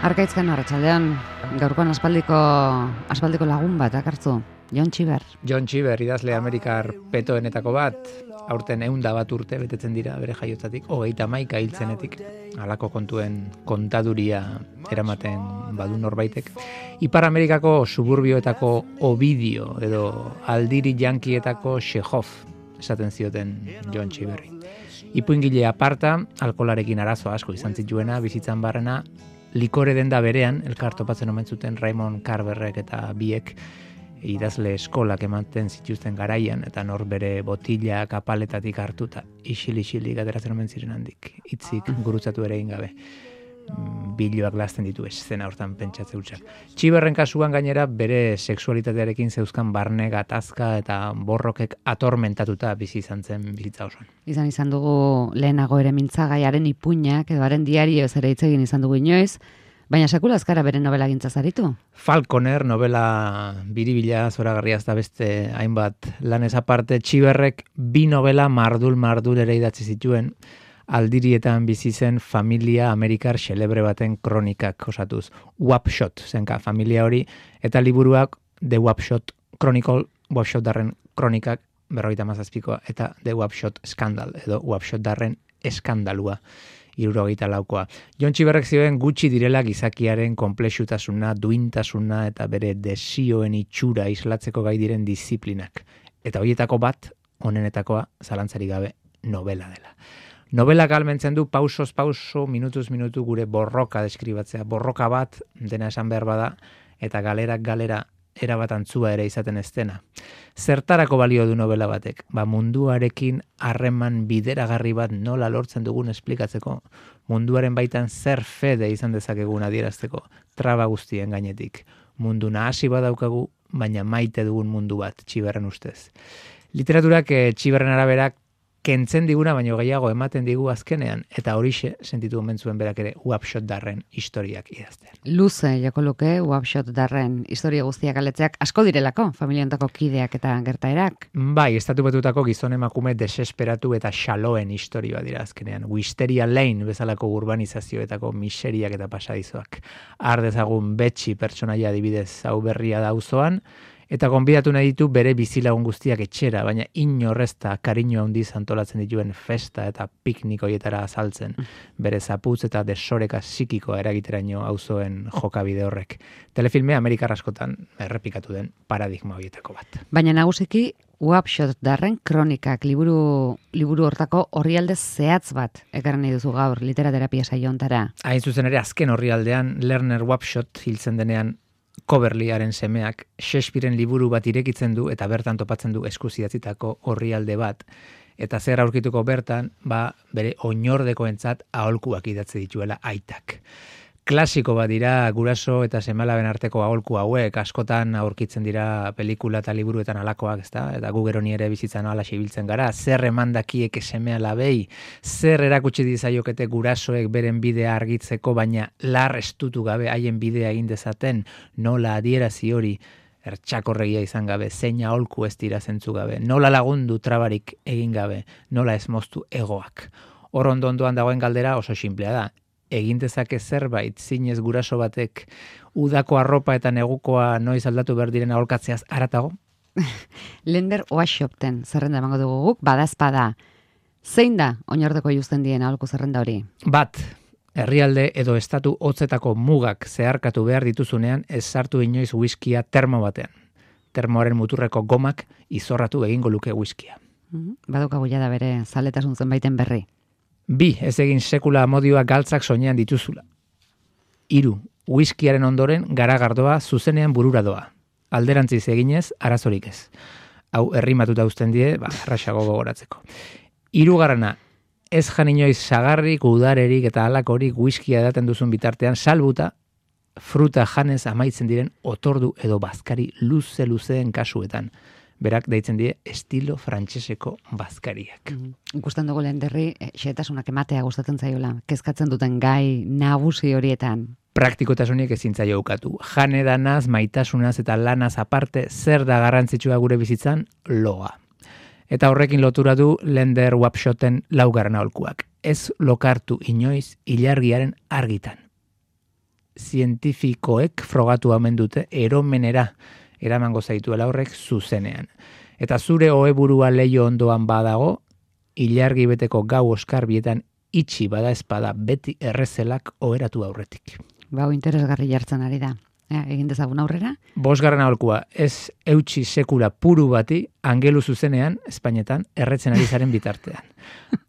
Arkaitzkan arratsaldean, gaurkoan aspaldiko lagun bat akartzu, John Cheever. John Cheever, idazle Amerikar petoenetako bat, aurten 101 urte betetzen dira bere jaiotzatik, 31 hiltzenetik, halako kontuen kontaduria eramaten badu norbaitek. Ipar Amerikako suburbioetako Ovidio edo aldiri jankietako Chekhov esaten zioten John Cheeverri. Ipuingile aparta, alkolarekin arazo asko izan zituena, bizitzan barrena, likore denda berean, elkar topatzen omen zuten Raymond Carverrek eta biek idazle eskolak ematen zituzten garaian, eta nor bere botila kapaletatik hartuta, isil-isilik ateratzen omen ziren handik, hitzik gurutzatu ere egin gabe. Biloak lazten ditu eszena hortan pentsatze hutsak. Cheeverren kasuan gainera bere sexualitatearekin zeuzkan barne gatazka eta borrokek atormentatuta bizi izan zen bizitza osoan. Izan dugu lehenago ere mintzagaiaren ipuinak edo haren diarioz ere hitz egin izan dugu inoiz, baina sekula azkara bere novela gintzaz aritu. Falconer novela biribila zoragarria da beste hainbat lanez aparte, Cheeverrek 2 novela mardul ere idatzi zituen, aldirietan bizi zen familia amerikar xelebre baten kronikak osatuz. Wapshot zenka familia hori, eta liburuak The Wapshot Chronicle, Wapshot darren kronikak 57koa, eta The Wapshot Scandal, edo Wapshot darren eskandalua, 74koa. John Cheeverrek zioen gutxi direla gizakiaren konplexutasuna, duintasuna eta bere desioen itxura islatzeko gai diren disiplinak. Eta horietako bat, honenetakoa, zalantzari gabe, novela dela. Novela galmentzen du pausoz pauso, minutuz minutu gure borroka deskribatzea. Borroka bat, dena esan behar bada, eta galerak galera erabat antzua ere izaten ez dena. Zertarako balio du novela batek? Munduarekin harreman bideragarri bat nola lortzen dugun esplikatzeko, munduaren baitan zer fede izan dezakegun adierazteko, traba guztien gainetik. Mundu nahasi badaukagu, baina maite dugun mundu bat, Cheeverren ustez. Literaturak Cheeverren araberak kentzen diguna, baino gehiago ematen digu azkenean, eta horixe sentitu omen zuen berak ere Wapshot darren historiak idazten. Luze joko luke Wapshot darren historia guztiak aletzeak asko direlako, familiontako kideak eta gertaerak. Bai, estatu batutako gizon emakume desesperatu eta xaloen historia dira azkenean. Wisteria Lane bezalako urbanizazioetako miseriak eta pasadizoak. Har dezagun Betsy pertsonaia adibidez hau berria da auzoan, eta gonbidatu nahi ditu bere bizilagun guztiak etxera, baina inorrezta kariño handiz antolatzen dituen festa eta piknik hoietara azaltzen, bere zaputz eta desoreka psikikoa eragiteraino auzoen jokabide horrek. Telefilme Amerikar askotan errepikatu den paradigma horietako bat. Baina nagusiki Wapshot darren kronikak liburu hortako orrialde zehatz bat ekarren nahi duzu gaur literaterapia saio hontara. Hain zuzen ere azken orrialdean Lerner Wapshot hiltzen denean Coverleyaren semeak Shakespearen liburu bat irekitzen du eta bertan topatzen du eskuzidatzitako orrialde bat. Eta zer aurkituko bertan, bere oinordekoentzat aholkuak idatzi dituela aitak. Klasiko bat dira guraso eta semalaben arteko aholku hauek, askotan aurkitzen dira pelikula eta liburuetan alakoak, ezta? Eta gu gero ni ere bizitzan alaxe ibiltzen gara, zer emandakiek semea labei, zer erakutsi dizaiokete gurasoek beren bidea argitzeko, baina lar estutu gabe haien bidea egin dezaten, nola adierazi hori ertsakorregia izan gabe, zein aholku ez dira zentzu gabe, nola lagundu trabarik egin gabe, nola ez moztu egoak. Hor ondoan dagoen galdera oso sinplea da. Egin dezake zerbait zinez guraso batek udako arropa eta negukoa noiz aldatu behar diren aholkatzeaz haratago? Lender Wapshoten zerrenda emango dugu guk, badazpada. Zein da oinordeko justen dien aholku zerrenda hori? Bat, herrialde edo estatu hotzetako mugak zeharkatu behar dituzunean ez sartu inoiz whiskia termo batean. Termoaren muturreko gomak izorratu egingo luke whiskia. Badaukagu da bere zaletasun zenbaiten berri. 2, ez egin sekula amodioa galtzak soinean dituzula. 3, whiskiaren ondoren garagardoa zuzenean burura doa. Alderantziz eginez, arazorik ez. Hau errimatuta uzten die, erraxago gogoratzeko. 3, ez jan inoiz sagarrik, udarerik eta halakorik whiskia edaten duzun bitartean, salbuta fruta janez amaitzen diren otordu edo bazkari luzeen kasuetan. Berak deitzen die estilo frantseseko bazkariak. Ikusten dugu Lenderri, xehetasunak ematea gustatzen zaiola, kezkatzen duten gai nagusi horietan. Praktikotasunik ezin zaio ukatu. Janedanaz, maitasunaz eta lanaz aparte, zer da garrantzitsua gure bizitzan? Loa. Eta horrekin lotura du Lender Wapshoten 4. aholkuak. Ez lokartu inoiz ilargiaren argitan. zientifikoek frogatu omen dute eromenera eramango zaituela horrek zuzenean. Eta zure oheburua leio ondoan badago, ilargi beteko gau oskarbietan itxi bada espada beti errezelak oheratu aurretik. Bau interesgarri jartzen ari da. Egin dezagun aurrera? 5. aholkua, ez eutxi sekula puru bati angelu zuzenean, Espainetan, erretzen ari zaren bitartean.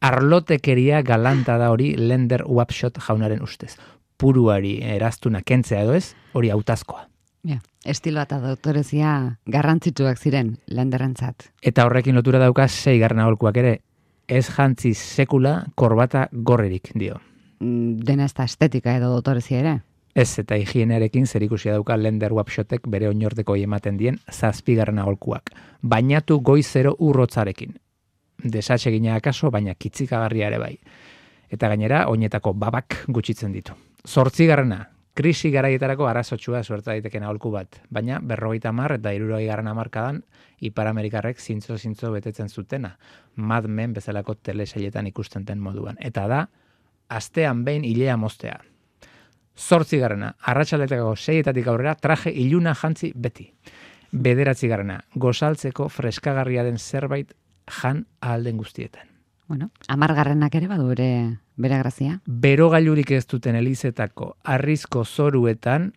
Arlotekeria galanta da hori Lender Wapshot jaunaren ustez. Puruari eraztuna kentzea edo ez, hori hautazkoa. Estiloa eta doktorezia garrantzitsuak ziren Lenderrentzat. Eta horrekin lotura dauka 6. aholkuak ere, ez jantzi sekula korbata gorririk dio. Dena ez da estetika edo doktorezia ere? Ez, eta higienearekin zerikusia dauka Lender Wapshotek bere oinorteko ematen dien 7. aholkuak. Bainatu goizero urrotzarekin. Desatsegina akaso, baina kitzikagarria ere bai. Eta gainera, oinetako babak gutxitzen ditu. 8. krisi garaietarako arazotsua suerta daiteken aholku bat, baina 50 eta 60 hamarkadan Ipar Amerikarrek zintzo betetzen zutena, Mad Men bezalako telesailetan ikusten den moduan. Eta da, astean behin ilea moztea. 8. arratsaletako 6 aurrera traje iluna jantzi beti. 9. gozaltzeko freskagarria den zerbait jan ahalden guztietan. Bueno, 10. ere badu bere grazia. Berogailurik ez duten elizetako harrizko zoruetan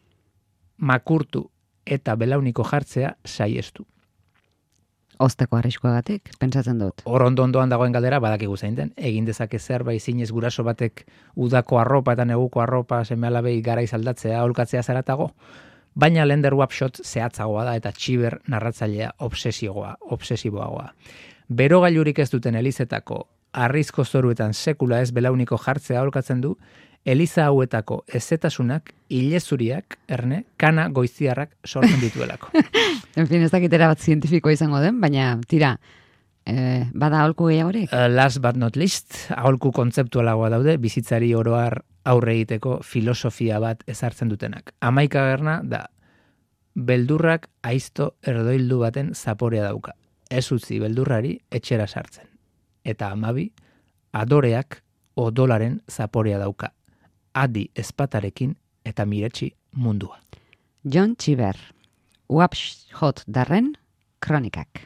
makurtu eta belauniko jartzea saiestu. Osteko arriskuagatik, pentsatzen dut. Hor ondoan dagoen galdera badakigu zein den. Egin dezake zerbait zinez guraso batek udako arropa eta neguko arropa seme-alabei garaiz aldatzea, aholkatzea zaratago. Baina Lender Wapshot zehatzagoa da eta txiber narratzailea obsesiboagoa. Berogailurik ez duten elizetako harrizko zoruetan sekula ez belauniko jartzea aholkatzen du, eliza hauetako ezetasunak, ilezuriak, kana goiziarrak sortzen dituelako. En fin, ez dakitera bat zientifikoa izango den, baina tira, bada aholku gehiagorik? Last but not least, aholku kontzeptualagoa daude, bizitzari oroar aurre egiteko filosofia bat ezartzen dutenak. 11. da, beldurrak aizto erdoildu baten zaporea dauka. Ez utzi beldurrari etxera sartzen. Eta 12, adoreak odolaren zaporea dauka. Adi ezpatarekin eta miretsi mundua. John Cheever, Wapshot darren kronikak.